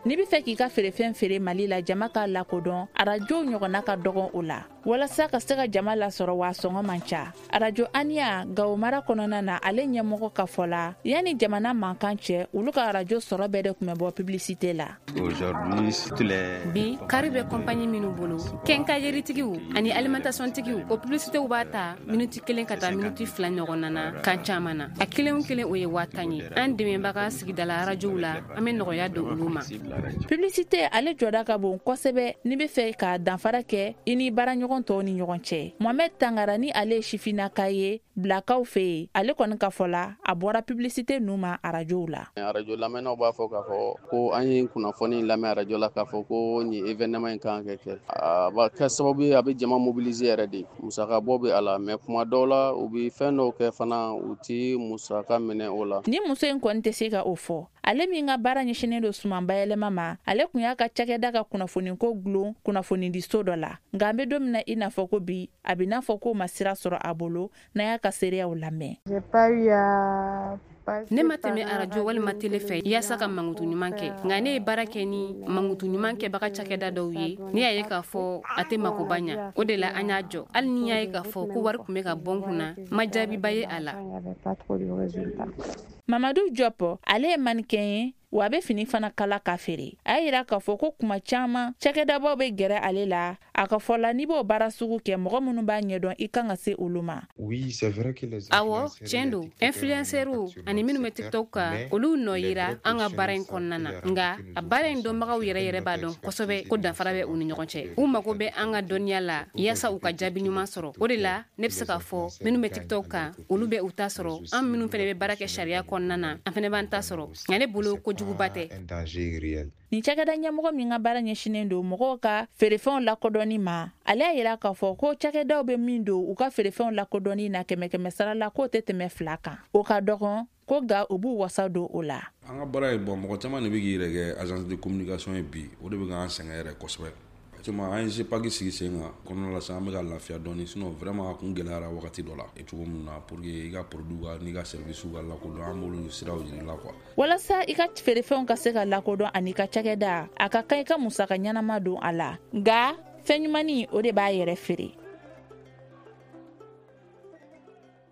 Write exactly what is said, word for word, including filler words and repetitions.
N'i bɛ fɛ k'i ka feerefɛn feere Mali la, jama k'a lakodɔn, arajow ɲɔgɔnna ka dɔgɔn o la. Walasa ka se ka jama lasɔrɔ, wa sɔngɔ man ca. Arajo Aniya Gawo mara kɔnɔna na, ale ɲɛmɔgɔ ka fɔ la, yanni jamana mankan cɛ, olu ka arajo sɔrɔ bɛɛ de tun bɛ bɔ publicité la. Bi, kari bɛ compagnie minnu bolo, quincailleritigiw ani alimentation tigiw, o publicitéw b'a ta miniti kelen ka taa miniti fila ɲɔgɔn na kan caman na. A kelen o kelen, o ye waa tan ye. An dɛmɛbaga sigidala arajow la, an bɛ nɔgɔya don olu ma. Publicité, ale jɔda ka bon kosɛbɛ n'i bɛ fɛ ka danfara kɛ i ni baaraɲɔgɔn tɔw ni ɲɔgɔn cɛ. Mohamɛd Tangara ni ale ye sifinnaka ye Bilakaw fɛ yen, ale kɔni ka fɔ la, a bɔra publicité ninnu ma arajow la. Arajo lamɛnnaw b'a fɔ k'a fɔ ko an ye kunnafoni lamɛn arajo la, k'a fɔ ko nin événement in kan ka kɛ. A b'a kɛ sababu ye, a bɛ jama mobiliser yɛrɛ de. Musaka bɔ bɛ a la, mais kuma dɔw la, u bɛ fɛn dɔw kɛ fana, u ti musaka minɛ o la. Ni muso in kɔni tɛ se ka o fɔ, ale min ka baara ɲɛsinnen don suman bayɛlɛma ma, ale tun y'a ka cakɛda ka kunnafoniko gulon kunnafonidiso dɔ la. Nka an bɛ don min na i n'a fɔ ko bi, a bɛ n'a fɔ k'o ma sira sɔrɔ a bolo n'a y'a ka seereyaw lamɛn. Ne ma tɛmɛ arajo walima tele fɛ yaasa ka mankutu ɲuman kɛ, nka ne ye baara kɛ ni mankutu ɲuman kɛbaga cakɛda dɔw ye. Ne y'a ye k'a fɔ a tɛ makoba ɲa, o de la an y'a jɔ. Hali ni y'a ye k'a fɔ ko wari tun bɛ ka bɔ n kunna, ma jaabiba ye a la. Mamadu Jɔpɔ, ale ye mannequin ye, wa a bɛ fini fana kala ka feere. A y'a yira k'a fɔ ko kuma caman cakɛdabaw bɛ gɛrɛ ale la. A ka fɔ la, n'i b'o baara sugu kɛ, mɔgɔ minnu b'a ɲɛdɔn, i kan ka se olu ma. Awɔ, tiɲɛ don, influenceurw ani minnu bɛ TikTok kan, olu nɔ yira an ka baara in kɔnɔna na. Nka a baara in dɔnbagaw yɛrɛ yɛrɛ b'a dɔn kosɛbɛ ko danfara bɛ u ni ɲɔgɔn cɛ. U mago bɛ an ka dɔnniya la yaasa u ka jaabi ɲuman sɔrɔ. O de la ne bɛ se k'a fɔ, minnu bɛ TikTok kan, olu bɛ u ta sɔrɔ. An minnu fana bɛ baara kɛ sariya kɔnɔna na, an fana b'an ta sɔrɔ. Nka ne bolo, kojuguba tɛ. Nin cakɛda ɲɛmɔgɔ min ka baara ɲɛsinnen don mɔgɔw ka feerefɛnw lakodɔnni ma, ale y'a yira k'a fɔ ko cakɛdaw bɛ min don u ka feerefɛnw lakodɔnni na, kɛmɛ kɛmɛ sara la, k'o tɛ tɛmɛ fila kan. O ka dɔgɔn ko, nka u b'u wasa don o la. An ka baara ye bɔn, mɔgɔ caman de bɛ k'i yɛrɛ kɛ agence de communication ye bi. O de bɛ k'an sɛgɛn yɛrɛ kosɛbɛ. Effectivement, an ye GEPAC sigi sen kan kɔnɔna la sisan, an bɛ ka lafiya dɔɔni. Sinon vraiment, a kun gɛlɛyara wagati dɔ la cogo min na pour que i ka produit ka n'i ka service ka lakodɔn, an b'olu siraw yir'i la quoi. Walasa i ka feerefɛnw ka se ka lakodɔn ani ka cakɛda, a ka kan i ka musaka ɲɛnama don a la. Nka fɛn ɲumanni, o de b'a yɛrɛ feere.